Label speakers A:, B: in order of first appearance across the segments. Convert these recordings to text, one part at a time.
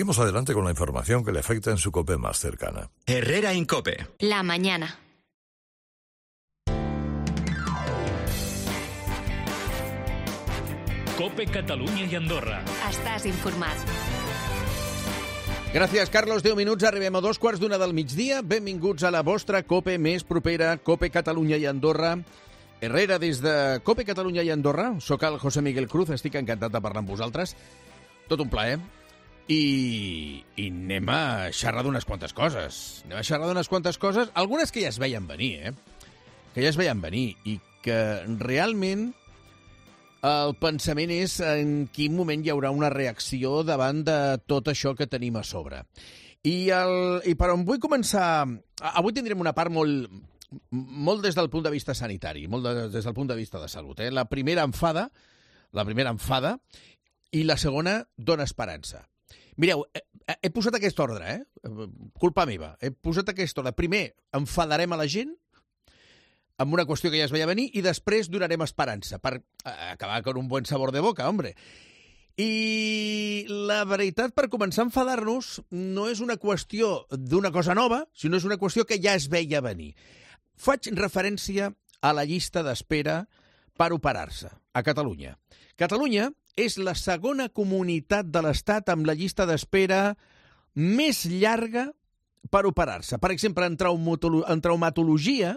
A: Seguimos adelante con la información que le afecta en su COPE más cercana.
B: Herrera Incope.
C: La mañana.
D: COPE Catalunya i Andorra.
C: Estàs informat.
E: Gràcies, Carlos. 10 minuts, arribem a 2:15 del migdia. Benvinguts a la vostra COPE més propera, COPE Catalunya i Andorra. Herrera, des de COPE Catalunya i Andorra. Soc el José Miguel Cruz, estic encantat de parlar amb vosaltres. Tot un plaer. I anem a xerrar d'unes quantes coses. Algunes que ja es veien venir, Que ja es veien venir i que realment el pensament és en quin moment hi haurà una reacció davant de tot això que tenim a sobre. I per on vull començar... Avui tindrem una part molt des del punt de vista sanitari, des del punt de vista de salut. La primera enfada i la segona dona esperança. Mireu, he posat aquest ordre, culpa meva. He posat aquest ordre. Primer, enfadarem a la gent amb una qüestió que ja es veia venir i després donarem esperança per acabar con un buen sabor de boca, hombre. I la veritat, per començar a enfadar-nos, no és una qüestió d'una cosa nova, sinó és una qüestió que ja es veia venir. Faig referència a la llista d'espera per operar-se a Catalunya. Catalunya és la segona comunitat de l'Estat amb la llista d'espera més llarga per operar-se. Per exemple, en traumatologia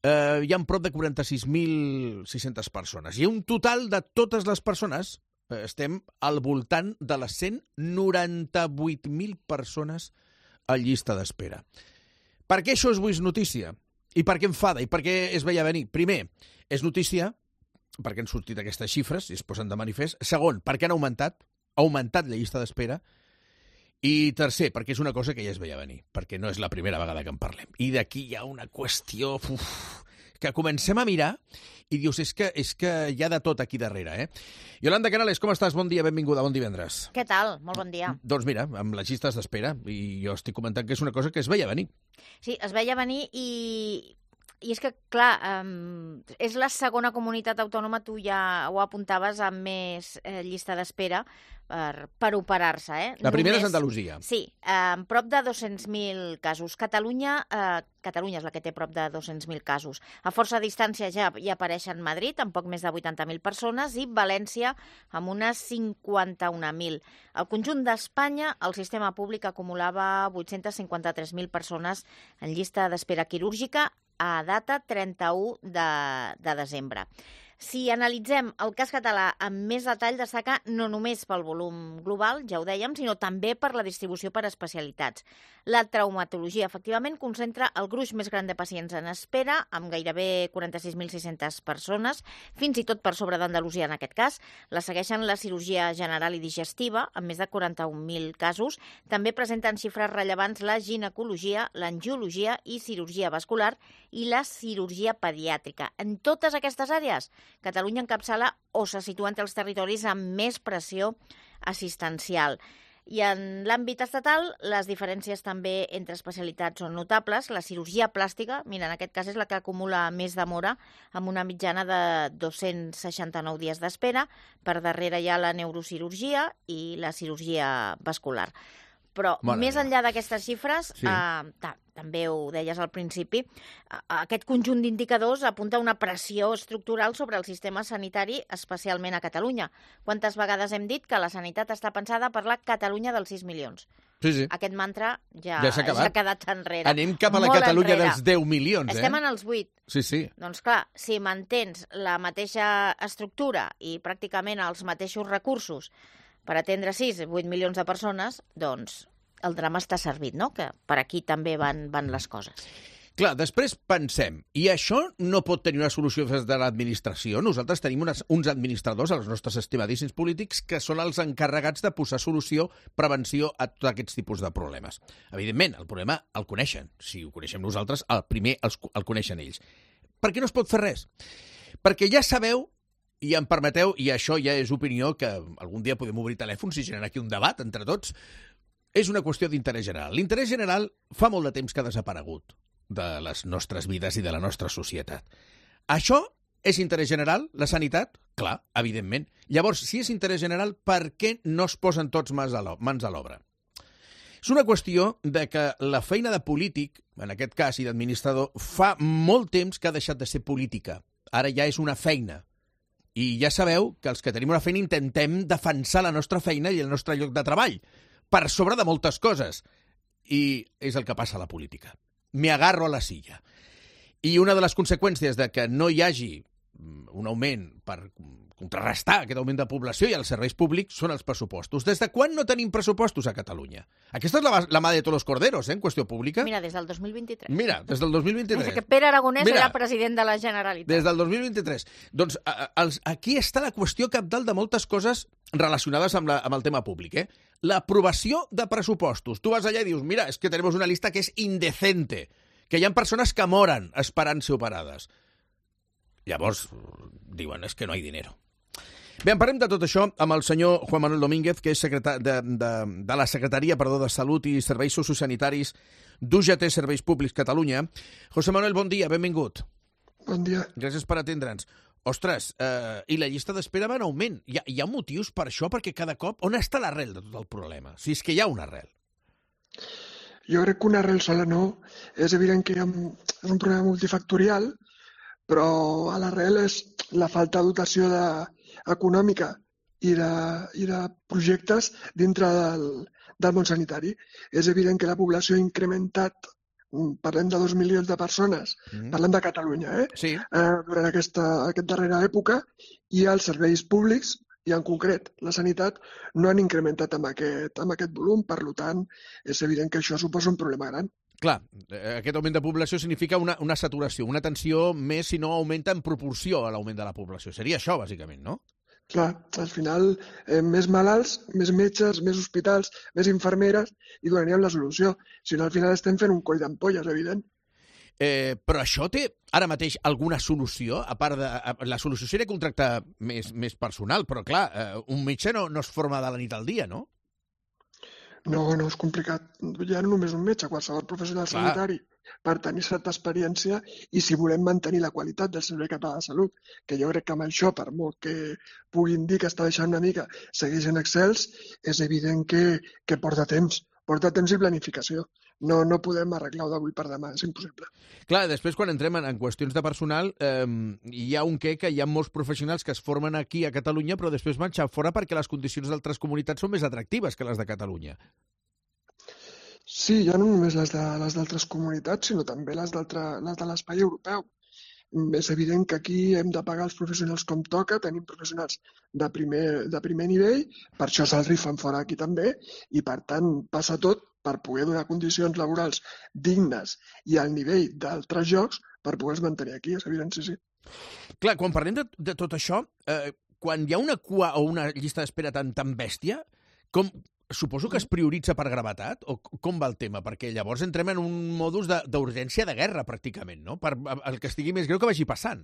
E: hi ha prop de 46.600 persones. I un total de totes les persones, estem al voltant de les 198.000 persones a llista d'espera. Per què això és avui notícia? I per què enfada? I per què es veia venir? Primer, és notícia perquè han sortit aquestes xifres i es posen de manifest. Segon, perquè han augmentat la llista d'espera. I tercer, perquè és una cosa que ja es veia venir, perquè no és la primera vegada que en parlem. I d'aquí hi ha una qüestió que comencem a mirar i dius, és que hi ha de tot aquí darrere, Yolanda Canales, com estàs? Bon dia, benvinguda, bon divendres.
F: Què tal? Molt bon dia.
E: Doncs mira, amb les llistes d'espera, i jo estic comentant que és una cosa que es veia venir.
F: Sí, es veia venir i és que, clar, és la segona comunitat autònoma, tu ja ho apuntaves, amb més llista d'espera per operar-se.
E: La primera és Andalusia.
F: Sí, amb prop de 200.000 casos. Catalunya és la que té prop de 200.000 casos. A força distància ja hi apareixen Madrid, amb poc més de 80.000 persones, i València, amb unes 51.000. Al conjunt d'Espanya, el sistema públic acumulava 853.000 persones en llista d'espera quirúrgica a data 31 de desembre. Si analitzem el cas català amb més detall, destaca no només pel volum global, ja ho dèiem, sinó també per la distribució per especialitats. La traumatologia, efectivament, concentra el gruix més gran de pacients en espera, amb gairebé 46.600 persones, fins i tot per sobre d'Andalusia en aquest cas. La segueixen la cirurgia general i digestiva, amb més de 41.000 casos. També presenten xifres rellevants la ginecologia, l'angiologia i cirurgia vascular i la cirurgia pediàtrica. En totes aquestes àrees, Catalunya encapçala o se situa entre els territoris amb més pressió assistencial. I en l'àmbit estatal, les diferències també entre especialitats són notables. La cirurgia plàstica, mira, en aquest cas és la que acumula més demora, amb una mitjana de 269 dies d'espera. Per darrere hi ha la neurocirurgia i la cirurgia vascular. Però més enllà d'aquestes xifres, sí. També ho deies al principi, aquest conjunt d'indicadors apunta una pressió estructural sobre el sistema sanitari, especialment a Catalunya. Quantes vegades hem dit que la sanitat està pensada per la Catalunya dels 6 milions?
E: Sí.
F: Aquest mantra ja
E: s'ha
F: quedat enrere.
E: Anem cap a la Catalunya dels 10 milions,
F: Estem en els 8.
E: Sí.
F: Doncs clar, si mantens la mateixa estructura i pràcticament els mateixos recursos per atendre 6 o 8 milions de persones, doncs el drama està servit, no? Que per aquí també van les coses.
E: Clar, després pensem, i això no pot tenir una solució des de l'administració. Nosaltres tenim uns administradors, els nostres estimadíssims polítics, que són els encarregats de posar solució, prevenció a tots aquests tipus de problemes. Evidentment, el problema el coneixen. Si ho coneixem nosaltres, el primer el coneixen ells. Per què no es pot fer res? Perquè ja sabeu, i em permeteu, i això ja és opinió, que algun dia podem obrir telèfons i generar aquí un debat entre tots, és una qüestió d'interès general. L'interès general fa molt de temps que ha desaparegut de les nostres vides i de la nostra societat. Això és interès general, la sanitat? Clar, evidentment. Llavors, si és interès general, per què no es posen tots mans a l'obra? És una qüestió de que la feina de polític, en aquest cas, i d'administrador, fa molt temps que ha deixat de ser política. Ara ja és una feina. I ja sabeu que els que tenim una feina intentem defensar la nostra feina i el nostre lloc de treball, per sobre de moltes coses. I és el que passa a la política. Me agarro a la silla. I una de les conseqüències de que no hi hagi un augment per contrarrestar aquest augment de població i els serveis públics són els pressupostos. Des de quan no tenim pressupostos a Catalunya? Aquesta és la mà de tots los corderos, en qüestió pública.
F: Mira, des del 2023.
E: Mira, des del 2023.
F: Des que Pere Aragonès era president de la Generalitat.
E: Des del 2023. Doncs aquí està la qüestió cabdal de moltes coses relacionades amb el tema públic. L'aprovació de pressupostos. Tu vas allà i dius, mira, és que tenemos una lista que és indecente, que hi ha persones que moren esperant ser operades. Llavors diuen, és que no hi ha dinero. Bé, en parlem de tot això amb el senyor Juan Manuel Domínguez, que és de la Secretaria de Salut i Serveis Sociosanitaris d'UGT Serveis Públics Catalunya. José Manuel, bon dia, benvingut.
B: Bon dia.
E: Gràcies per atendre'ns. Ostres, i la llista d'espera va en augment. Hi ha motius per això? Perquè cada cop... On està l'arrel de tot el problema? Si és que hi ha una arrel.
B: Jo crec que una arrel sola no. És evident que és un problema multifactorial, però a l'arrel és la falta de dotació econòmica i de projectes dintre del món sanitari. És evident que la població ha incrementat, parlem de 2 milions de persones, parlem de Catalunya,
E: Sí.
B: Durant aquesta darrera època, i els serveis públics, i en concret la sanitat, no han incrementat amb aquest volum. Per tant, és evident que això suposa un problema gran.
E: Clar, aquest augment de població significa una saturació, una tensió més si no augmenta en proporció a l'augment de la població. Seria això, bàsicament, no?
B: Clar, al final, més malalts, més metges, més hospitals, més infermeres, i donaríem la solució. Si no, al final estem fent un coll d'ampolles, evident.
E: Però això té ara mateix alguna solució? A part de... La solució seria contractar més personal, però clar, un metge no es forma de la nit al dia, no?
B: No, és complicat. Ja no només un metge, qualsevol professional sanitari, per tenir certa experiència, i si volem mantenir la qualitat del servei català de salut, que jo crec que amb això, per molt que puguin dir que està deixant una mica, segueixen excels, és evident que porta temps i planificació. No podem arreglar-ho d'avui per demà, és impossible.
E: Clar, després quan entrem en qüestions de personal, hi ha que hi ha molts professionals que es formen aquí a Catalunya però després marxen fora perquè les condicions d'altres comunitats són més atractives que les de Catalunya.
B: Sí, ja no només les d'altres comunitats, sinó també les de l'espai europeu. És evident que aquí hem de pagar els professionals com toca, tenim professionals de primer nivell, per això se'ls rifen fora aquí també, i per tant passa tot per poder donar condicions laborals dignes i al nivell d'altres llocs per poder-los mantenir aquí, és evident, sí.
E: Clar, quan parlem de tot això, quan hi ha una cua o una llista d'espera tan bèstia, suposo que es prioritza per gravetat? O com va el tema? Perquè llavors entrem en un modus d'urgència de guerra, pràcticament, no? Per el que estigui més greu que vagi passant.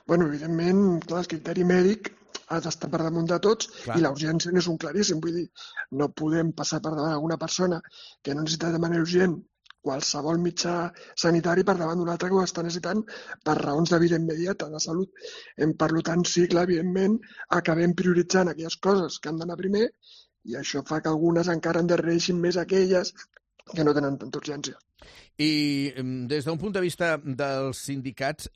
B: Bueno, evidentment, clar, el criteri mèdic ha d'estar per damunt de tots, clar. I la urgència és un claríssim. Vull dir, no podem passar per davant d'alguna persona que no necessita de manera urgent qualsevol mitjà sanitari per davant d'un altre que ho està necessitant per raons de vida immediata, de salut. Per tant, sí, clar, evidentment, acabem prioritzant aquelles coses que han d'anar primer, i això fa que algunes encara endarrereixin més aquelles que no tenen tanta urgència.
E: I des d'un punt de vista dels sindicats,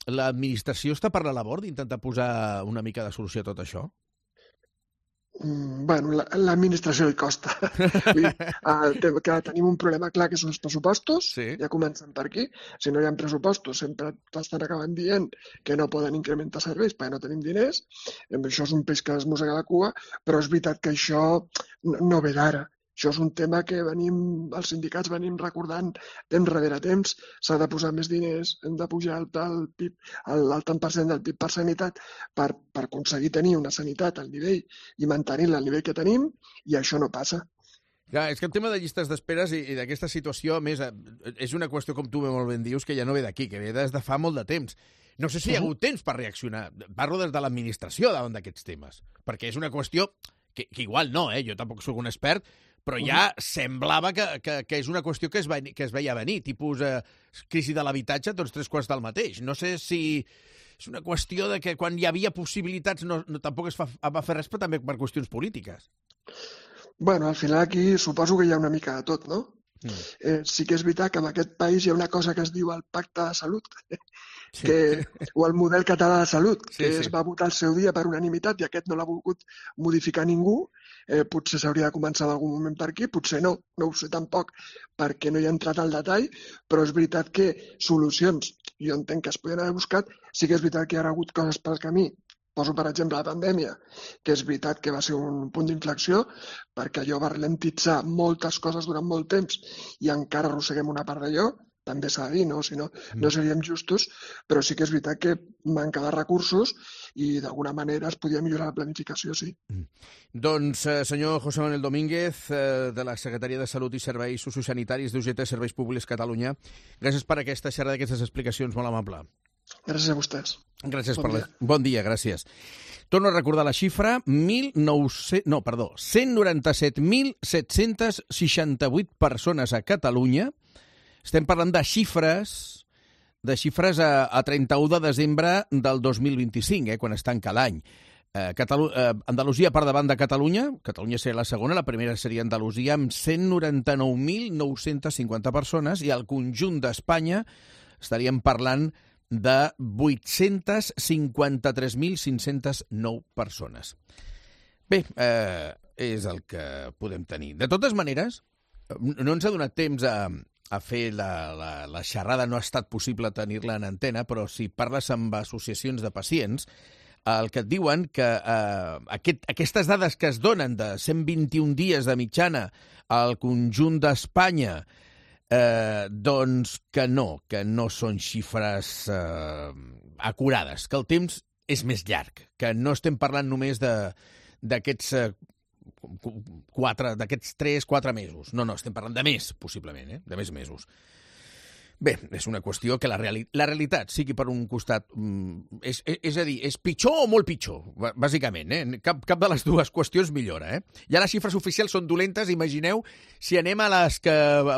E: l'administració està per la labor d'intentar posar una mica de solució a tot això?
B: Bueno, l'administració li costa. Que tenim un problema clar que són els pressupostos, sí. Ja comencem per aquí. Si no hi ha pressupostos, sempre estan acabant dient que no poden incrementar serveis perquè no tenim diners. Això és un peix que es mossega la cua, però és veritat que això no ve d'ara. Això és un tema que els sindicats venim recordant temps rere temps. S'ha de posar més diners, hem de pujar el PIB, el tant per cent del PIB per sanitat per aconseguir tenir una sanitat al nivell i mantenir-la al nivell que tenim, i això no passa.
E: Clar, és que el tema de llistes d'esperes i d'aquesta situació, a més, és una qüestió, com tu molt ben dius, que ja no ve d'aquí, que ve des de fa molt de temps. No sé si hi ha hagut temps per reaccionar. Parlo des de l'administració davant d'aquests temes, perquè és una qüestió que igual no, jo tampoc soc un expert, però ja semblava que és una qüestió que es veia venir, tipus crisi de l'habitatge, tots 3/4 del mateix. No sé si és una qüestió de que quan hi havia possibilitats tampoc es va fer res, però també per qüestions polítiques.
B: Bueno, al final aquí suposo que hi ha una mica de tot, no? Sí que és veritat que en aquest país hi ha una cosa que es diu el Pacte de Salut, o el model català de salut, que es va votar al seu dia per unanimitat i aquest no l'ha volgut modificar ningú. Potser s'hauria de començar en algun moment per aquí, potser no ho sé tampoc, perquè no hi ha entrat al detall, però és veritat que solucions, jo entenc que es podien haver buscat, sí que és veritat que hi ha hagut coses pel camí. Poso, per exemple, la pandèmia, que és veritat que va ser un punt d'inflexió perquè allò va ralentitzar moltes coses durant molt temps i encara arrosseguem una part d'allò, també s'ha de dir, no? Si no, no seríem justos, però sí que és veritat que manca de recursos i d'alguna manera es podia millorar la planificació, sí.
E: Doncs, senyor José Manuel Domínguez, de la Secretaria de Salut i Serveis Sociosanitaris d'UGT Serveis Públics Catalunya, gràcies per aquesta xerrada, aquestes explicacions, molt amable.
B: Gràcies a vostès.
E: Gràcies per la... Bon dia, gràcies. Torno a recordar la xifra, 197.768 persones a Catalunya. Estem parlant de xifres a 31 de desembre del 2025, quan es tanca l'any. Andalusia per davant de Catalunya seria la segona, la primera seria Andalusia, amb 199.950 persones, i al conjunt d'Espanya estaríem parlant de 853.509 persones. Bé, és el que podem tenir. De totes maneres, no ens ha donat temps a fer la xerrada, no ha estat possible tenir-la en antena, però si parles amb associacions de pacients, el que et diuen que aquestes dades que es donen de 121 dies de mitjana al conjunt d'Espanya, doncs que no són xifres acurades, que el temps és més llarg, que no estem parlant només d'aquests 3-4 mesos. No, estem parlant de més, possiblement, de més mesos. Bé, és una qüestió que la realitat sigui per un costat... És a dir, és pitjor o molt pitjor, bàsicament. Cap de les dues qüestions millora. Ja les xifres oficials són dolentes, imagineu si anem a les que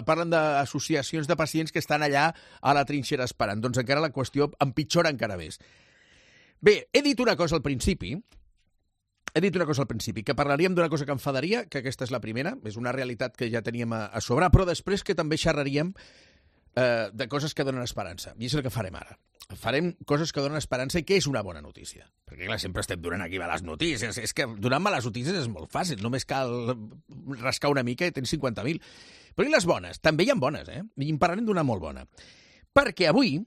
E: parlen d'associacions de pacients que estan allà a la trinxera esperant. Doncs encara la qüestió empitjora encara més. Bé, he dit una cosa al principi, que parlaríem d'una cosa que enfadaria, que aquesta és la primera, és una realitat que ja teníem a sobre, però després que també xerraríem de coses que donen esperança. I és el que farem ara. Farem coses que donen esperança i que és una bona notícia. Perquè, clar, sempre estem donant aquí males notícies. És que donar males notícies és molt fàcil. Només cal rascar una mica i tens 50.000. Però i les bones? També hi ha bones, I en parlarem d'una molt bona. Perquè avui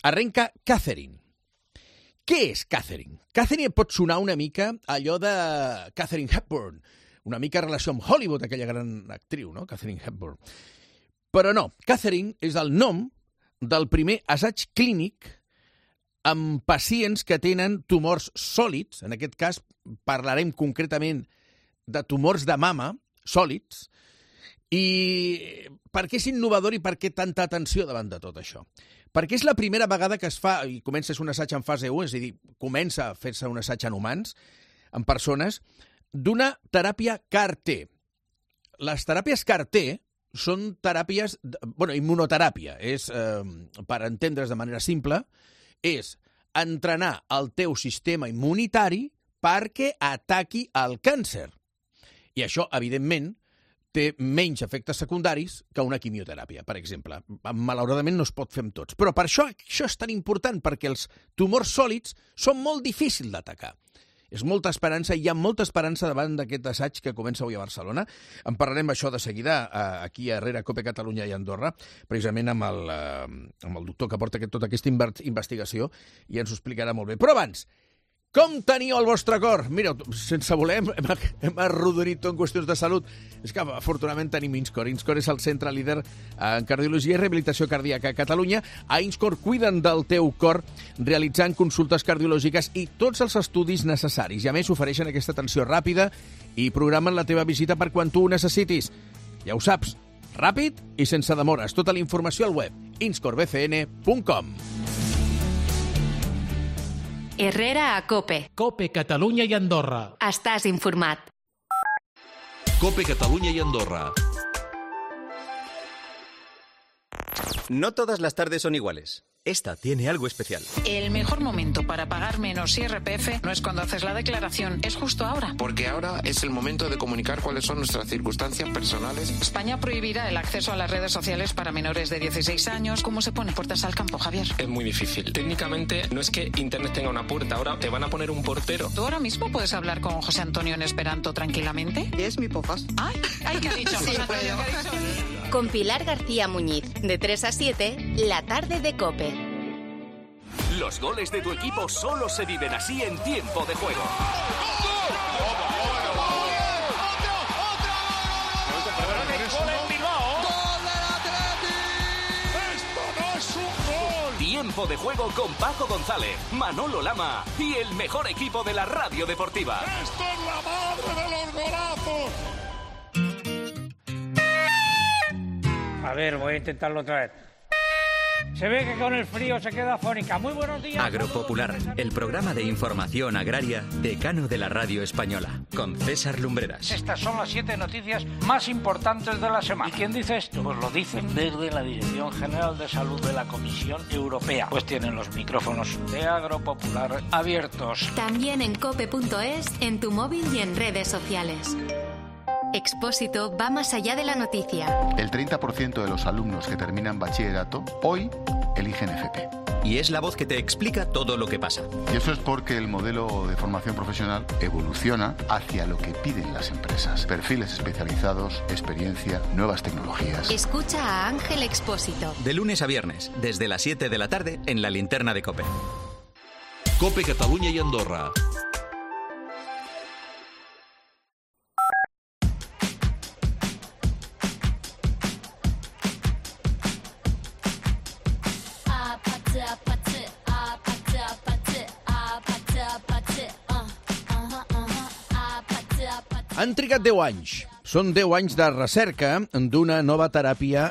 E: arrenca Catherine. Què és Catherine? Catherine pot sonar una mica allò de Katharine Hepburn. Una mica en relació amb Hollywood, aquella gran actriu, no? Katharine Hepburn. Però no, Catherine és el nom del primer assaig clínic amb pacients que tenen tumors sòlids. En aquest cas parlarem concretament de tumors de mama sòlids. I per què és innovador i per què tanta atenció davant de tot això? Perquè és la primera vegada que es fa, i comença un assaig en fase 1, és a dir, comença a fer-se un assaig en humans, en persones, d'una teràpia CAR-T. Les teràpies CAR-T són teràpies, immunoteràpia, és, per entendre's de manera simple, és entrenar el teu sistema immunitari perquè ataqui el càncer. I això, evidentment, té menys efectes secundaris que una quimioteràpia, per exemple. Malauradament no es pot fer amb tots. Però per això és tan important, perquè els tumors sòlids són molt difícils d'atacar. És molta esperança, hi ha molta esperança davant d'aquest assaig que comença avui a Barcelona. En parlarem això de seguida aquí a Herrera, Cope Catalunya i Andorra, precisament amb el doctor que porta tota aquesta investigació, i ens ho explicarà molt bé. Però abans, com teniu el vostre cor? Mireu, sense voler hem arrodonit tot en qüestions de salut. És que afortunadament tenim INSCOR. INSCOR és el centre líder en cardiologia i rehabilitació cardíaca a Catalunya. A INSCOR cuiden del teu cor realitzant consultes cardiològiques i tots els estudis necessaris. I a més ofereixen aquesta atenció ràpida i programen la teva visita per quan tu ho necessitis. Ja ho saps, ràpid i sense demores. Tota la informació al web inscorbcn.com.
C: Herrera a Cope.
D: Cope Catalunya i Andorra.
C: Estàs informat.
G: Cope Catalunya y Andorra.
H: No todas las tardes son iguales. esta tiene algo especial.
I: El mejor momento para pagar menos IRPF no es cuando haces la declaración, es justo ahora.
J: Porque ahora es el momento de comunicar cuáles son nuestras circunstancias personales.
I: España prohibirá el acceso a las redes sociales para menores de 16 años. ¿Cómo se pone puertas al campo, Javier?
K: Es muy difícil. Técnicamente no es que Internet tenga una puerta, ahora te van a poner un portero.
I: ¿Tú ahora mismo puedes hablar con José Antonio en esperanto tranquilamente?
L: Es mi pofas.
I: Ay, ¿qué ha dicho?
L: Sí,
I: José Antonio, ¿qué ha dicho?
C: Con Pilar García Muñiz, de 3 a 7, la tarde de COPE.
M: Los goles de tu equipo solo se viven así en tiempo de juego. Tiempo de juego con Paco González, Manolo Lama y el mejor equipo de la radio deportiva.
N: ¡Esto es la madre de los golazos!
O: A ver, voy a intentarlo otra vez. Se ve que con el frío se queda afónica. Muy buenos días.
H: Agropopular, el programa de información agraria decano de la radio española, con César Lumbreras.
O: Estas son las 7 noticias más importantes de la semana. ¿Y quién dice esto? Pues lo dicen desde la Dirección General de Salud de la Comisión Europea. Pues tienen los micrófonos de Agropopular abiertos.
C: También en cope.es, en tu móvil y en redes sociales. Expósito va más allá de la noticia.
P: El 30% de los alumnos que terminan bachillerato hoy eligen FP.
H: Y es la voz que te explica todo lo que pasa.
P: Y eso es porque el modelo de formación profesional evoluciona hacia lo que piden las empresas. Perfiles especializados, experiencia, nuevas tecnologías.
C: Escucha a Ángel Expósito.
H: De lunes a viernes, desde las 7 de la tarde, en la linterna de COPE.
G: COPE Catalunya y Andorra.
E: Han trigat 10 anys. Són 10 anys de recerca d'una nova teràpia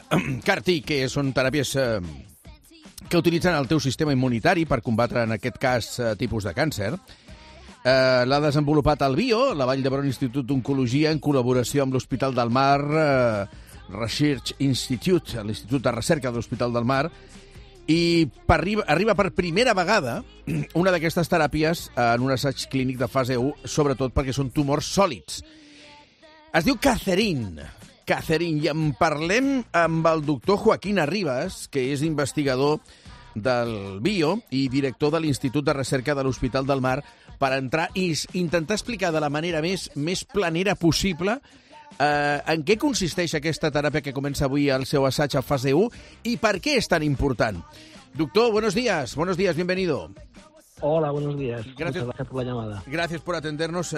E: CAR-T, que són teràpies que utilitzen el teu sistema immunitari per combatre, en aquest cas, tipus de càncer. L'ha desenvolupat el BIO, la Vall d'Hebron Institut d'Oncologia, en col·laboració amb l'Hospital del Mar Research Institute, l'Institut de Recerca de l'Hospital del Mar, i arriba per primera vegada una d'aquestes teràpies en un assaig clínic de fase 1, sobretot perquè són tumors sòlids. Es diu Cacerin, i en parlem amb el doctor Joaquín Arribas, que és investigador del BIO i director de l'Institut de Recerca de l'Hospital del Mar, per entrar i intentar explicar de la manera més planera possible en què consisteix aquesta teràpia que comença avui el seu assaig a fase 1 i per qué es tan important. Doctor, buenos días, bienvenido.
Q: Hola, buenos días. Muchas gracias por la llamada.
E: Gracias por atendernos.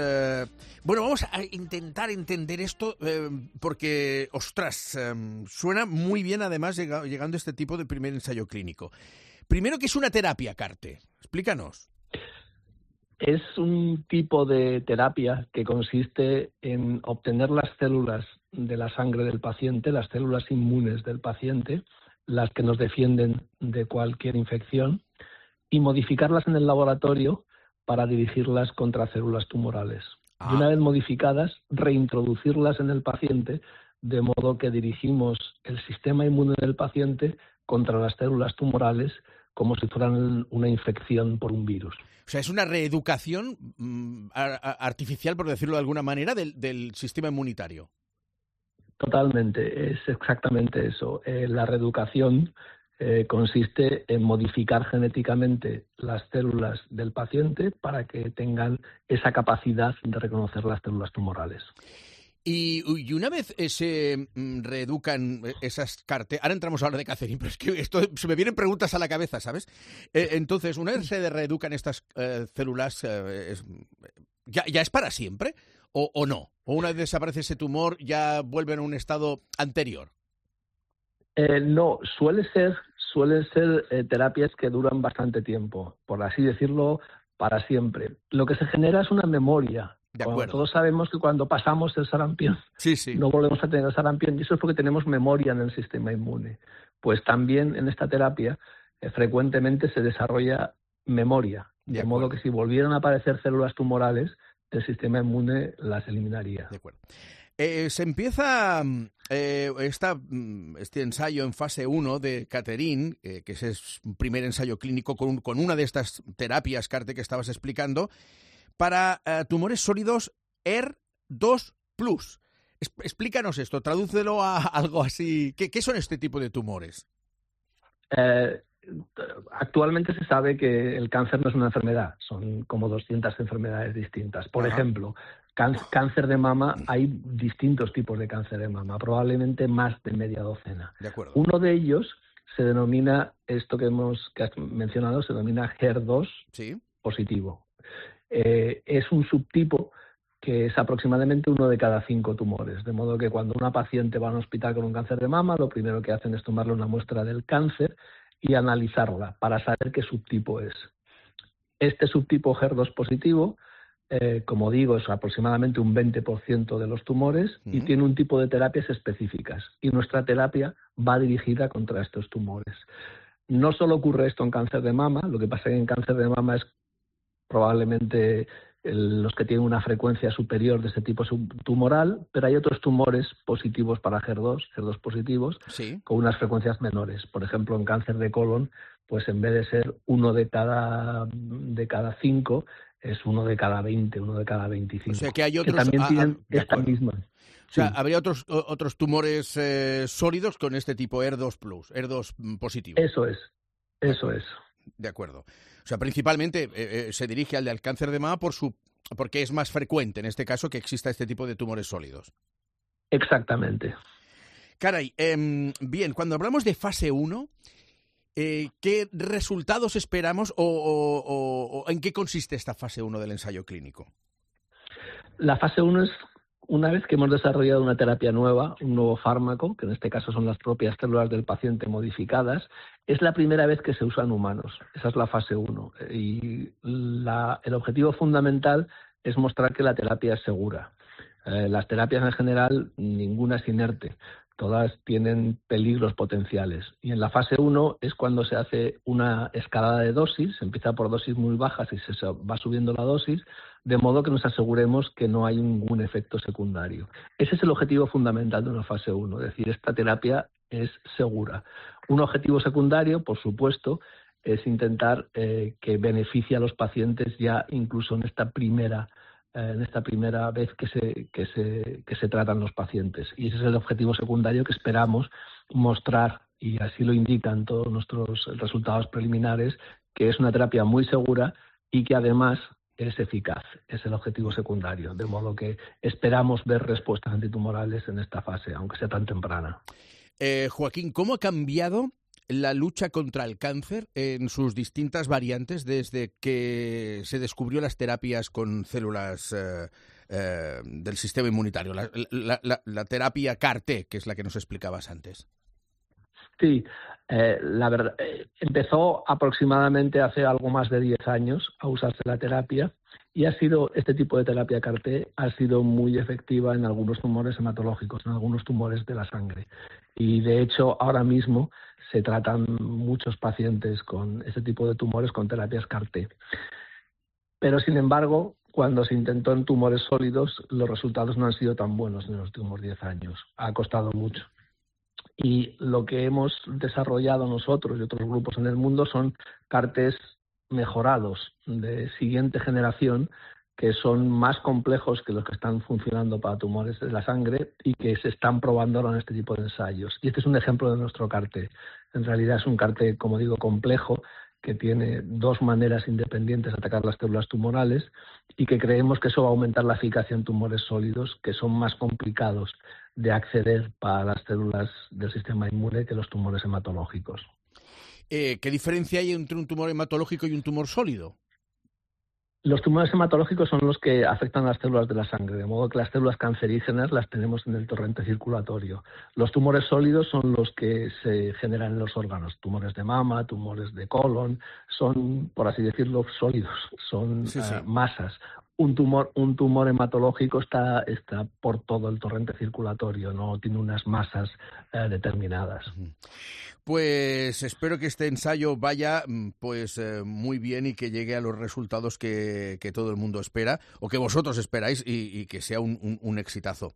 E: Bueno, vamos a intentar entender esto porque, ostras, suena muy bien además llegando a este tipo de primer ensayo clínico. Primero, ¿qué es una terapia CAR-T? Explícanos.
Q: Es un tipo de terapia que consiste en obtener las células de la sangre del paciente, las células inmunes del paciente, las que nos defienden de cualquier infección, y modificarlas en el laboratorio para dirigirlas contra células tumorales. Y una vez modificadas, reintroducirlas en el paciente, de modo que dirigimos el sistema inmune del paciente contra las células tumorales como si fueran una infección por un virus.
E: O sea, es una reeducación artificial, por decirlo de alguna manera, del sistema inmunitario.
Q: Totalmente, es exactamente eso. La reeducación consiste en modificar genéticamente las células del paciente para que tengan esa capacidad de reconocer las células tumorales.
E: Y una vez se reeducan esas CAR-T, ahora entramos a hablar de Cacerin, pero es que esto se me vienen preguntas a la cabeza, ¿sabes? Entonces, una vez se reeducan estas células, ¿ya es para siempre o no? ¿O una vez desaparece ese tumor ya vuelven a un estado anterior?
Q: No, suelen ser terapias que duran bastante tiempo, por así decirlo, para siempre. Lo que se genera es una memoria. Todos sabemos que cuando pasamos el sarampión no volvemos a tener sarampión, y eso es porque tenemos memoria en el sistema inmune. Pues también en esta terapia frecuentemente se desarrolla memoria, de modo que si volvieran a aparecer células tumorales, el sistema inmune las eliminaría.
E: De acuerdo. Se empieza este ensayo en fase 1 de Catherine, que es un primer ensayo clínico con una de estas terapias CAR-T que estabas explicando, para tumores sólidos HER2+. Explícanos esto, tradúcelo a algo así. ¿Qué son este tipo de tumores?
Q: Actualmente se sabe que el cáncer no es una enfermedad, son como 200 enfermedades distintas. Por ejemplo, cáncer de mama, hay distintos tipos de cáncer de mama, probablemente más de media docena.
E: De acuerdo.
Q: Uno de ellos se denomina, esto que has mencionado, se denomina HER2 positivo. Es un subtipo que es aproximadamente 1 de cada 5 tumores, de modo que cuando una paciente va a un hospital con un cáncer de mama, lo primero que hacen es tomarle una muestra del cáncer y analizarla para saber qué subtipo es. Este subtipo HER2 positivo, como digo, es aproximadamente un 20% de los tumores y tiene un tipo de terapias específicas. Y nuestra terapia va dirigida contra estos tumores. No solo ocurre esto en cáncer de mama, lo que pasa es que en cáncer de mama es probablemente los que tienen una frecuencia superior de ese tipo tumoral, pero hay otros tumores positivos para HER2 positivos, con unas frecuencias menores. Por ejemplo, en cáncer de colon, pues en vez de ser 1 de cada 5, es 1 de cada 20, 1 de cada 25.
E: O sea que hay otros
Q: que también tienen esta misma.
E: O sea, habría otros tumores sólidos con este tipo HER2 positivo.
Q: Eso es.
E: De acuerdo. O sea, principalmente se dirige al del cáncer de mama porque es más frecuente, en este caso, que exista este tipo de tumores sólidos.
Q: Exactamente.
E: Caray, bien, cuando hablamos de fase 1, ¿qué resultados esperamos o en qué consiste esta fase 1 del ensayo clínico?
Q: La fase 1 es una vez que hemos desarrollado una terapia nueva, un nuevo fármaco, que en este caso son las propias células del paciente modificadas, es la primera vez que se usa en humanos. Esa es la fase 1. Y el objetivo fundamental es mostrar que la terapia es segura. Las terapias en general, ninguna es inerte. Todas tienen peligros potenciales. Y en la fase 1 es cuando se hace una escalada de dosis, se empieza por dosis muy bajas y se va subiendo la dosis, de modo que nos aseguremos que no hay ningún efecto secundario. Ese es el objetivo fundamental de una fase 1, es decir, esta terapia es segura. Un objetivo secundario, por supuesto, es intentar que beneficie a los pacientes ya incluso en esta primera vez que se tratan los pacientes. Y ese es el objetivo secundario que esperamos mostrar, y así lo indican todos nuestros resultados preliminares, que es una terapia muy segura y que además es eficaz. Es el objetivo secundario, de modo que esperamos ver respuestas antitumorales en esta fase, aunque sea tan temprana.
E: Joaquín, ¿cómo ha cambiado la lucha contra el cáncer en sus distintas variantes desde que se descubrió las terapias con células del sistema inmunitario, la terapia CAR-T, que es la que nos explicabas antes?
Q: Sí, la verdad, empezó aproximadamente hace algo más de 10 años a usarse la terapia y este tipo de terapia CAR-T ha sido muy efectiva en algunos tumores hematológicos, en algunos tumores de la sangre. Y de hecho, ahora mismo se tratan muchos pacientes con ese tipo de tumores con terapias CAR-T. Pero, sin embargo, cuando se intentó en tumores sólidos, los resultados no han sido tan buenos en los últimos 10 años. Ha costado mucho. Y lo que hemos desarrollado nosotros y otros grupos en el mundo son CAR-Ts mejorados de siguiente generación, que son más complejos que los que están funcionando para tumores de la sangre y que se están probando ahora en este tipo de ensayos. Y este es un ejemplo de nuestro CAR-T. En realidad es un CAR-T, como digo, complejo, que tiene 2 maneras independientes de atacar las células tumorales y que creemos que eso va a aumentar la eficacia en tumores sólidos, que son más complicados de acceder para las células del sistema inmune que los tumores hematológicos.
E: ¿Qué diferencia hay entre un tumor hematológico y un tumor sólido?
Q: Los tumores hematológicos son los que afectan a las células de la sangre, de modo que las células cancerígenas las tenemos en el torrente circulatorio. Los tumores sólidos son los que se generan en los órganos, tumores de mama, tumores de colon, son, por así decirlo, sólidos, son masas. Un tumor hematológico está por todo el torrente circulatorio, no tiene unas masas determinadas.
E: Pues espero que este ensayo vaya muy bien y que llegue a los resultados que todo el mundo espera o que vosotros esperáis y que sea un exitazo.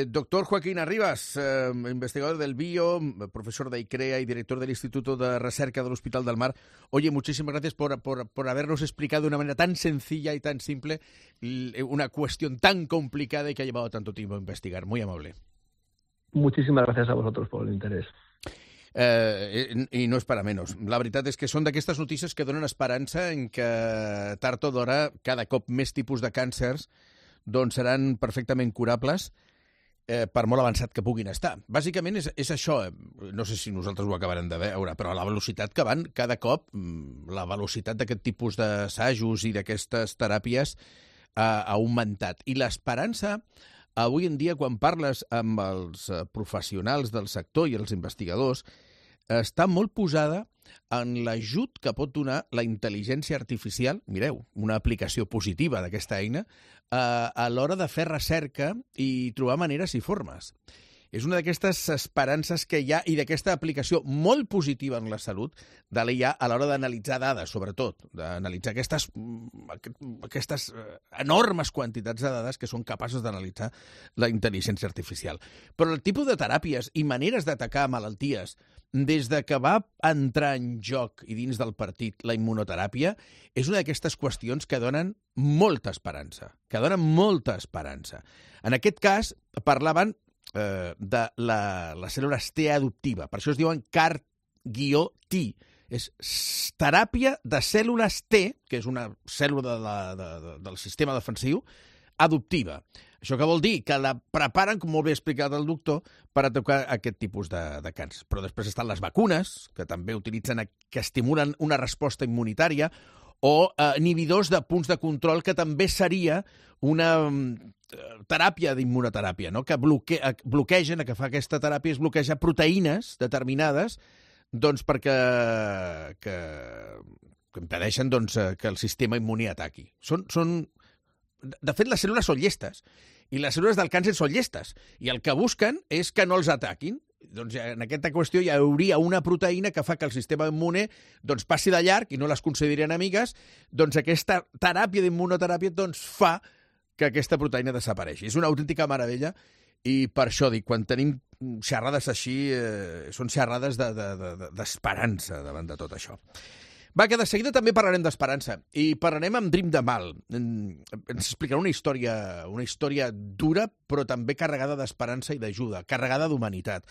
E: Doctor Joaquín Arribas, investigador del BIO, profesor de ICREA y director del Instituto de Recerca del Hospital del Mar. Oye, muchísimas gracias por habernos explicado de una manera tan sencilla y tan simple una cuestión tan complicada y que ha llevado tanto tiempo a investigar. Muy amable.
Q: Muchísimas gracias a vosotros por el interès.
E: I no és per a menys. La veritat és que són d'aquestes notícies que donen esperança en que tard o d'hora cada cop més tipus de càncers doncs seran perfectament curables per molt avançat que puguin estar. Bàsicament és això, no sé si nosaltres ho acabarem de veure, però a la velocitat que van, cada cop la velocitat d'aquest tipus d'assajos i d'aquestes teràpies ha augmentat. I l'esperança, avui en dia, quan parles amb els professionals del sector i els investigadors, està molt posada en l'ajut que pot donar la intel·ligència artificial, mireu, una aplicació positiva d'aquesta eina, a l'hora de fer recerca i trobar maneres i formes. És una d'aquestes esperances que hi ha i d'aquesta aplicació molt positiva en la salut de l'IA a l'hora d'analitzar dades, sobretot, d'analitzar aquestes enormes quantitats de dades que són capaços d'analitzar la intel·ligència artificial. Però el tipus de teràpies i maneres d'atacar malalties des de que va entrar en joc i dins del partit la immunoteràpia és una d'aquestes qüestions que donen molta esperança, En aquest cas, parlaven de les cèl·lules T adoptiva. Per això es diuen CAR-T. És teràpia de cèl·lules T, que és una cèl·lula del sistema defensiu, adoptiva. Això què vol dir? Que la preparen, com molt bé ha explicat el doctor, per atacar aquest tipus de càncer. Però després estan les vacunes, que també utilitzen, que estimulen una resposta immunitària, o inhibidors de punts de control, que també seria una teràpia d'immunoteràpia, no? Que bloquegen, el que fa aquesta teràpia és bloquejar proteïnes determinades doncs perquè que impedeixen que el sistema immuni ataqui. De fet, les cèl·lules són llestes, i les cèl·lules del càncer són llestes, i el que busquen és que no els ataquin. Doncs en aquesta qüestió hi hauria una proteïna que fa que el sistema immune passi de llarg i no les consideri enemigues, doncs aquesta teràpia d'immunoteràpia fa que aquesta proteïna desapareixi. És una autèntica meravella i per això dic, quan tenim xerrades així, són xerrades d'esperança davant de tot això. Va, que de seguida també parlarem d'esperança i parlarem amb Dream Dhamal. Ens explicarà una història dura però també carregada d'esperança i d'ajuda, carregada d'humanitat.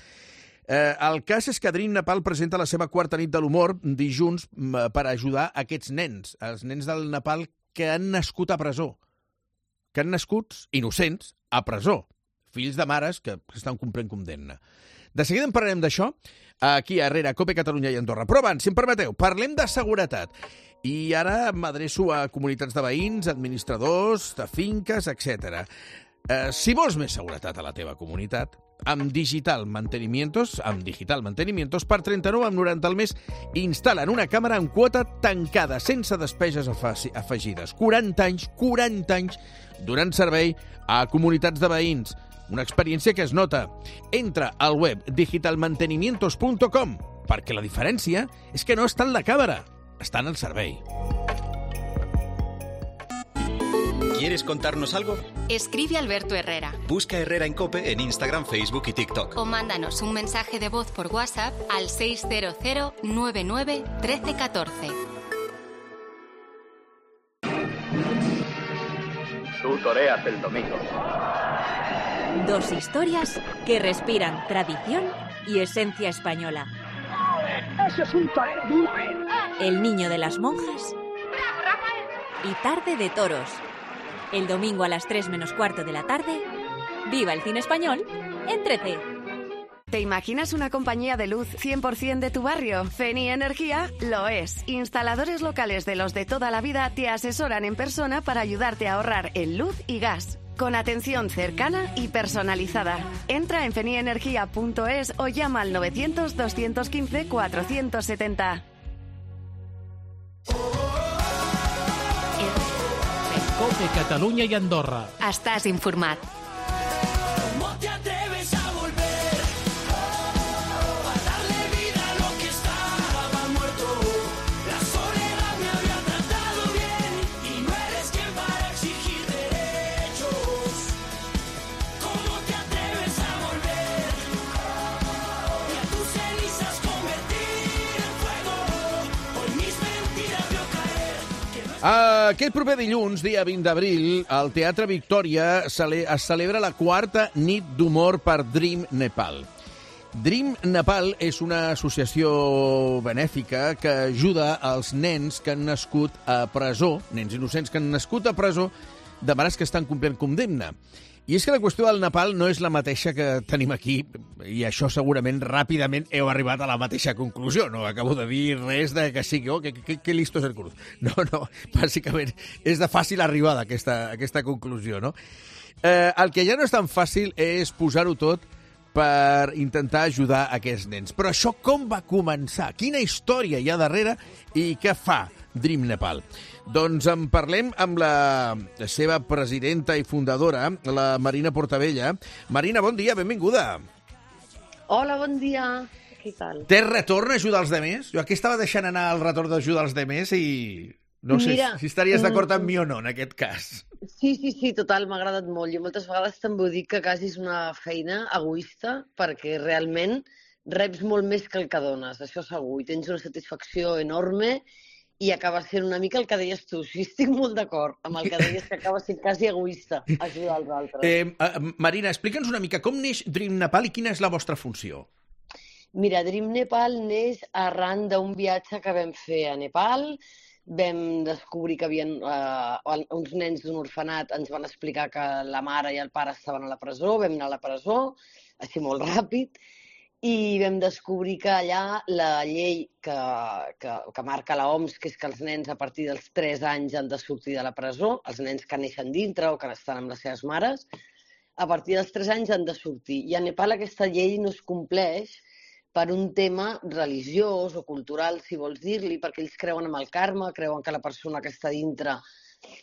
E: El cas és que Dream Dhamal presenta la seva quarta nit de l'humor dijous per ajudar aquests nens, els nens del Nepal que han nascut a presó, que han nascut innocents a presó, fills de mares que estan complint condemna. De seguida en parlarem d'això, aquí a Herrera, COPE Catalunya i Andorra. Però abans, si em permeteu, parlem de seguretat. I ara m'adreço a comunitats de veïns, administradors, de finques, etc. Si vols més seguretat a la teva comunitat, amb Digital Mantenimientos, per 39,90 al mes, instal·len una càmera en quota tancada, sense despeses afegides. 40 anys donant servei a comunitats de veïns. Una experiència que es nota. Entra al web digitalmantenimientos.com, perquè la diferència és que no està en la càmera, està en el servei.
H: ¿Quieres contarnos algo?
C: Escribe Alberto Herrera.
H: Busca Herrera en COPE en Instagram, Facebook y TikTok.
C: O mándanos un mensaje de voz por WhatsApp al 600 99 13 14.
L: Tú toreas el domingo.
R: Dos historias que respiran tradición y esencia española.
N: ¡Ese es un torero duro!
R: El niño de las monjas y Tarde de Toros. El domingo a las 3 menos cuarto de la tarde, viva el cine español en 13.
S: ¿Te imaginas una compañía de luz 100% de tu barrio? Feni Energía lo es. Instaladores locales de los de toda la vida te asesoran en persona para ayudarte a ahorrar en luz y gas. Con atención cercana y personalizada. Entra en fenienergia.es o llama al 900 215 470.
D: COPE Catalunya i Andorra.
C: Estàs informat.
E: Aquest proper dilluns, dia 20 d'abril, al Teatre Victòria es celebra la 4a nit d'humor per Dream Nepal. Dream Nepal és una associació benèfica que ajuda als nens que han nascut a presó, nens innocents que han nascut a presó, de mares que estan complint condemna. I és que la qüestió del Nepal no és la mateixa que tenim aquí, i això segurament ràpidament heu arribat a la mateixa conclusió. No acabo de dir res de que sí, que listo és el cruz. No, bàsicament és de fàcil arribada aquesta conclusió, no? El que ja no és tan fàcil és posar-ho tot per intentar ajudar aquests nens. Però això com va començar? Quina història hi ha darrere i què fa Dream Nepal? Doncs en parlem amb la seva presidenta i fundadora, la Marina Portabella. Marina, bon dia, benvinguda.
T: Hola, bon dia. Què tal?
E: Té retorn a ajudar els demés? Jo aquí estava deixant anar el retorn d'ajudar els demés i no sé si estaries d'acord amb mi o no en aquest cas.
T: Sí, total, m'ha agradat molt. Jo moltes vegades també dic que quasi és una feina egoista perquè realment reps molt més que el que dones, això segur, i tens una satisfacció enorme i acaba sent una mica el que deies tu. Sí, estic molt d'acord amb el que deies, que acaba sent quasi egoista ajudar els altres.
E: Marina, explica'ns una mica com neix Dream Nepal i quina és la vostra funció?
T: Mira, Dream Nepal neix arran d'un viatge que vam fer a Nepal. Vam descobrir que havien uns nens d'un orfenat, ens van explicar que la mare i el pare estaven a la presó, vam anar a la presó, així molt ràpid, i vam descobrir que allà la llei que marca l'OMS, que és que els nens a partir dels 3 anys han de sortir de la presó, els nens que neixen dintre o que estan amb les seves mares, a partir dels 3 anys han de sortir. I a Nepal aquesta llei no es compleix per un tema religiós o cultural, si vols dir-li, perquè ells creuen en el karma, creuen que la persona que està dintre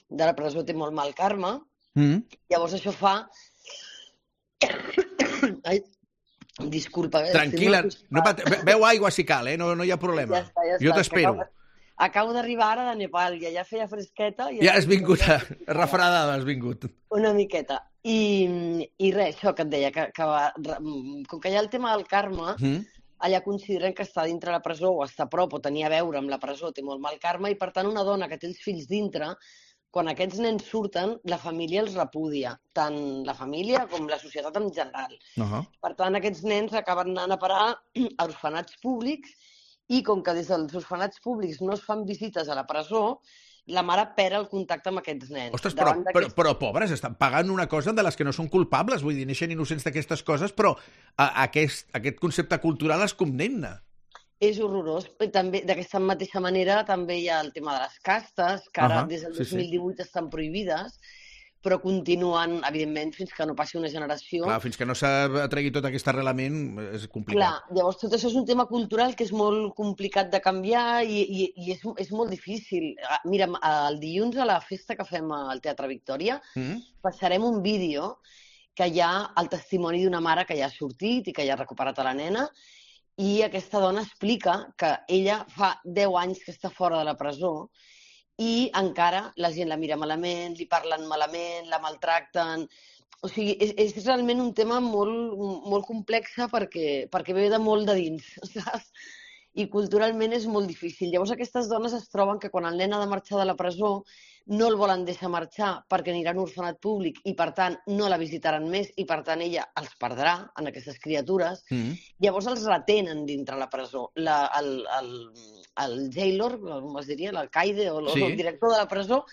T: de la presó té molt mal karma. Llavors això fa... Ai, disculpa.
E: Tranquil·la, beu aigua si cal, no hi ha problema.
T: Ja està.
E: Jo t'espero.
T: Acabo d'arribar ara de Nepal, ja feia fresqueta.
E: Ja has vingut, refredada has vingut.
T: Una miqueta. I res, això que et deia, que com que hi ha el tema del karma, allà consideren que estar dintre la presó o estar a prop o tenir a veure amb la presó té molt mal karma i, per tant, una dona que té els fills dintre, quan aquests nens surten, la família els repudia, tant la família com la societat en general. Per tant, aquests nens acaben anant a parar a orfenats públics i, com que des dels orfenats públics no es fan visites a la presó, la mare perd el contacte amb aquests nens.
E: Ostres, però pobres, estan pagant una cosa de les que no són culpables, vull dir, neixen innocents d'aquestes coses, però aquest concepte cultural es condemna.
T: És horrorós. També, d'aquesta mateixa manera, també hi ha el tema de les castes, que ara des del 2018 estan prohibides, però continuen, evidentment, fins que no passi una generació.
E: Clar, fins que no s'atregui tot aquest arrelament és complicat.
T: Clar, llavors tot això és un tema cultural que és molt complicat de canviar i és molt difícil. Mira, el dilluns a la festa que fem al Teatre Victòria passarem un vídeo que hi ha el testimoni d'una mare que ja ha sortit i que ja ha recuperat a la nena, i aquesta dona explica que ella fa 10 anys que està fora de la presó i encara la gent la mira malament, li parlen malament, la maltracten. O sigui, és realment un tema molt complex perquè ve de molt de dins, saps? I culturalment és molt difícil. Llavors aquestes dones es troben que quan el nen ha de marxar de la presó no el volen deixar marxar perquè anirà a un orfenat públic i, per tant, no la visitaran més i, per tant, ella els perdrà en aquestes criatures. Llavors els retenen dintre la presó. El jailor, com es diria, l'alcaide o el director de la presó,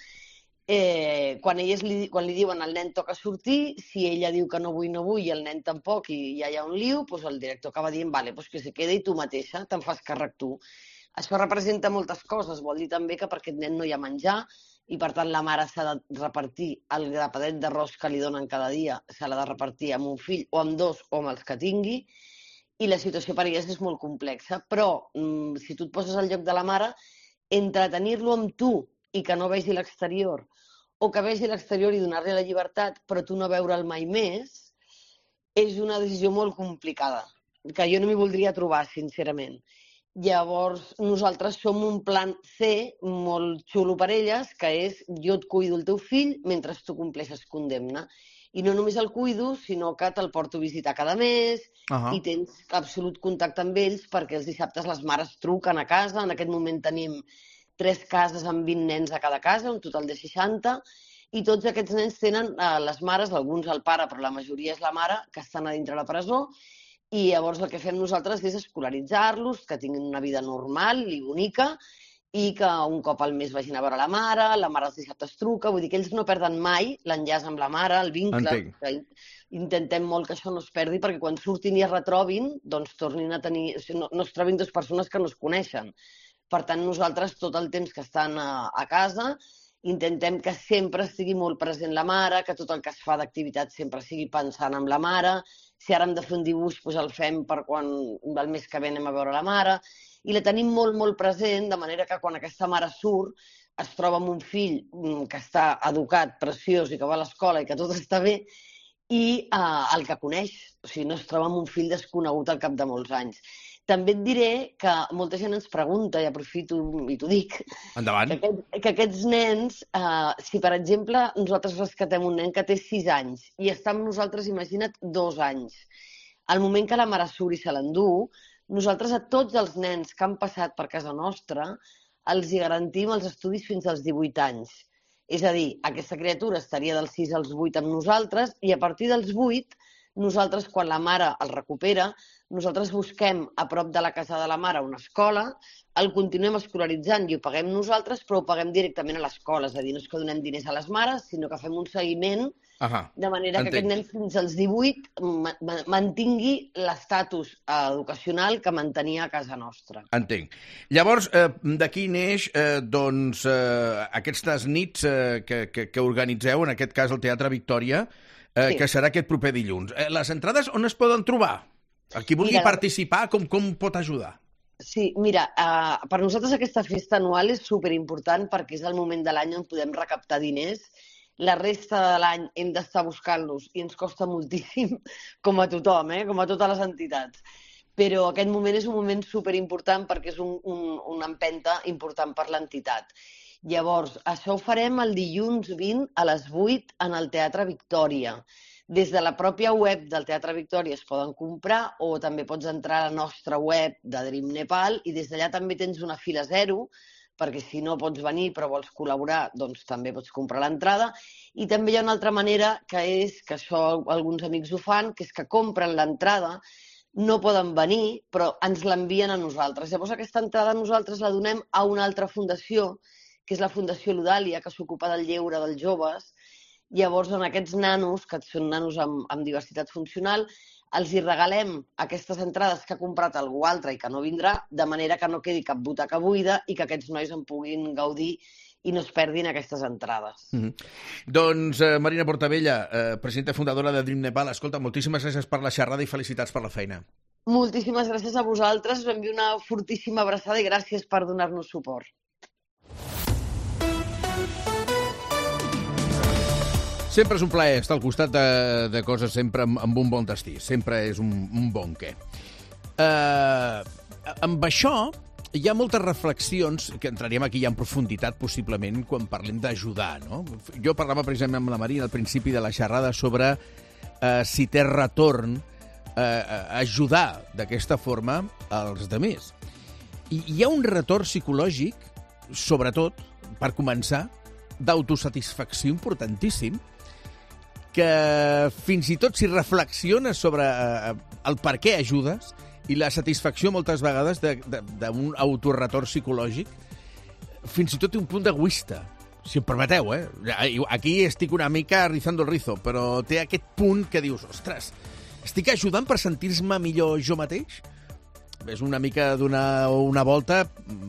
T: quan li diuen al nen toca sortir, si ella diu que no vull i el nen tampoc i ja hi ha un liu, doncs el director acaba dient vale, doncs que se quedi i tu mateixa te'n fas càrrec tu. Això representa moltes coses. Vol dir també que per aquest nen no hi ha menjar i, per tant, la mare s'ha de repartir el grapadet d'arròs que li donen cada dia, se l'ha de repartir amb un fill o amb 2 o amb els que tingui, i la situació per elles és molt complexa. Però, si tu et poses al lloc de la mare, entretenir-lo amb tu i que no vegi l'exterior, o que vegi l'exterior i donar-li la llibertat, però tu no veure'l mai més, és una decisió molt complicada, que jo no m'hi voldria trobar, sincerament. Llavors, nosaltres som un plan C molt xulo per elles, que és jo et cuido el teu fill mentre tu compleixes condemna. I no només el cuido, sinó que te'l porto a visitar cada mes i tens absolut contacte amb ells perquè els dissabtes les mares truquen a casa. En aquest moment tenim 3 cases amb 20 nens a cada casa, un total de 60, i tots aquests nens tenen les mares, alguns el pare, però la majoria és la mare, que estan a dintre la presó, i llavors el que fem nosaltres és escolaritzar-los, que tinguin una vida normal i bonica, i que un cop al mes vagin a veure la mare els dissabtes truca, vull dir que ells no perden mai l'enllaç amb la mare, el vincle. Intentem molt que això no es perdi perquè quan surtin i es retrobin, doncs tornin a tenir... no es trobin dues persones que no es coneixen. Per tant, nosaltres tot el temps que estan a casa intentem que sempre estigui molt present la mare, que tot el que es fa d'activitat sempre sigui pensant en la mare. Si ara hem de fer un dibuix, doncs el fem per quan el mes que ve anem a veure la mare. I la tenim molt, molt present, de manera que quan aquesta mare surt es troba amb un fill que està educat, preciós i que va a l'escola i que tot està bé, i el que coneix. O sigui, no es troba amb un fill desconegut al cap de molts anys. També et diré que molta gent ens pregunta, i aprofito i t'ho dic, que aquests nens, si per exemple nosaltres rescatem un nen que té 6 anys i està amb nosaltres, imagina't, 2 anys, al moment que la mare surt i se l'endú, nosaltres a tots els nens que han passat per casa nostra els hi garantim els estudis fins als 18 anys. És a dir, aquesta criatura estaria dels 6 als 8 amb nosaltres i a partir dels 8, nosaltres, quan la mare el recupera, nosaltres busquem a prop de la casa de la mare una escola, el continuem escolaritzant i ho paguem nosaltres, però ho paguem directament a l'escola. És a dir, no és que donem diners a les mares, sinó que fem un seguiment de manera que aquest nen fins als 18 mantingui l'estatus educacional que mantenia a casa nostra.
E: Entenc. Llavors, d'aquí neix aquestes nits que organitzeu, en aquest cas al Teatre Victòria, que serà aquest proper dilluns. Les entrades on es poden trobar? El qui vulgui participar, com pot ajudar?
T: Sí, mira, per nosaltres aquesta festa anual és superimportant perquè és el moment de l'any on podem recaptar diners. La resta de l'any hem d'estar buscant-los i ens costa moltíssim, com a tothom, com a totes les entitats. Però aquest moment és un moment superimportant perquè és una empenta important per l'entitat. Llavors, això ho farem el dilluns 20 a les 8 en el Teatre Victòria. Des de la pròpia web del Teatre Victòria es poden comprar o també pots entrar a la nostra web de Dream Nepal i des d'allà també tens una fila zero perquè si no pots venir però vols col·laborar, doncs també pots comprar l'entrada. I també hi ha una altra manera que és, que això alguns amics ho fan, que és que compren l'entrada, no poden venir però ens l'envien a nosaltres. Llavors aquesta entrada nosaltres la donem a una altra fundació, que és la Fundació Ludàlia, que s'ocupa del lleure dels joves. Llavors, en aquests nanos, que són nanos amb diversitat funcional, els hi regalem aquestes entrades que ha comprat algú altre i que no vindrà, de manera que no quedi cap butaca buida i que aquests nois en puguin gaudir i no es perdin aquestes entrades.
E: Doncs, Marina Portabella, presidenta fundadora de Dream Nepal, escolta, moltíssimes gràcies per la xerrada i felicitats per la feina.
T: Moltíssimes gràcies a vosaltres, us envio una fortíssima abraçada i gràcies per donar-nos suport.
E: Sempre és un plaer estar al costat de coses sempre amb un bon destí. Sempre és un bon què. Amb això hi ha moltes reflexions que entraríem aquí ja en profunditat possiblement quan parlem d'ajudar, no? Jo parlava precisament amb la Marina al principi de la xerrada sobre si té retorn ajudar d'aquesta forma als demés. I hi ha un retorn psicològic, sobretot, per començar, d'autosatisfacció importantíssim, que fins i tot si reflexiones sobre el per què ajudes i la satisfacció moltes vegades d'un autorretorn psicològic, fins i tot té un punt egoista, si em permeteu, Aquí estic una mica rizando el rizo, però té aquest punt que dius, ostres, estic ajudant per sentir-me millor jo mateix? És una mica donar una volta,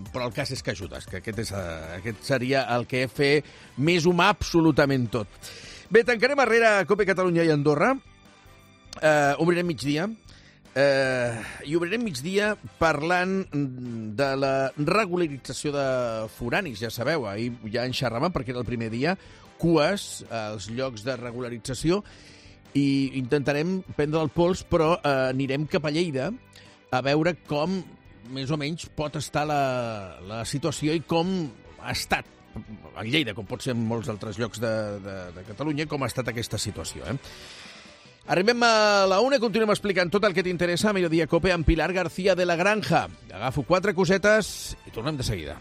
E: però el cas és que ajudes, que aquest seria el que fer més humà absolutament tot. Bé, tancarem arrere COPE Catalunya i Andorra. Obrirem migdia. I obrirem migdia parlant de la regularització de foranis. Ja sabeu, ahir ja en xerràvem perquè era el primer dia, cues als llocs de regularització, i intentarem prendre el pols, però anirem cap a Lleida a veure com, més o menys, pot estar la situació i com ha estat a Lleida, com pot ser en molts altres llocs de Catalunya, com ha estat aquesta situació. Arribem a la 1 i continuem explicant tot el que t'interessa a Mediodía Cope amb Pilar García de la Granja. Agafo 4 cosetes i tornem de seguida.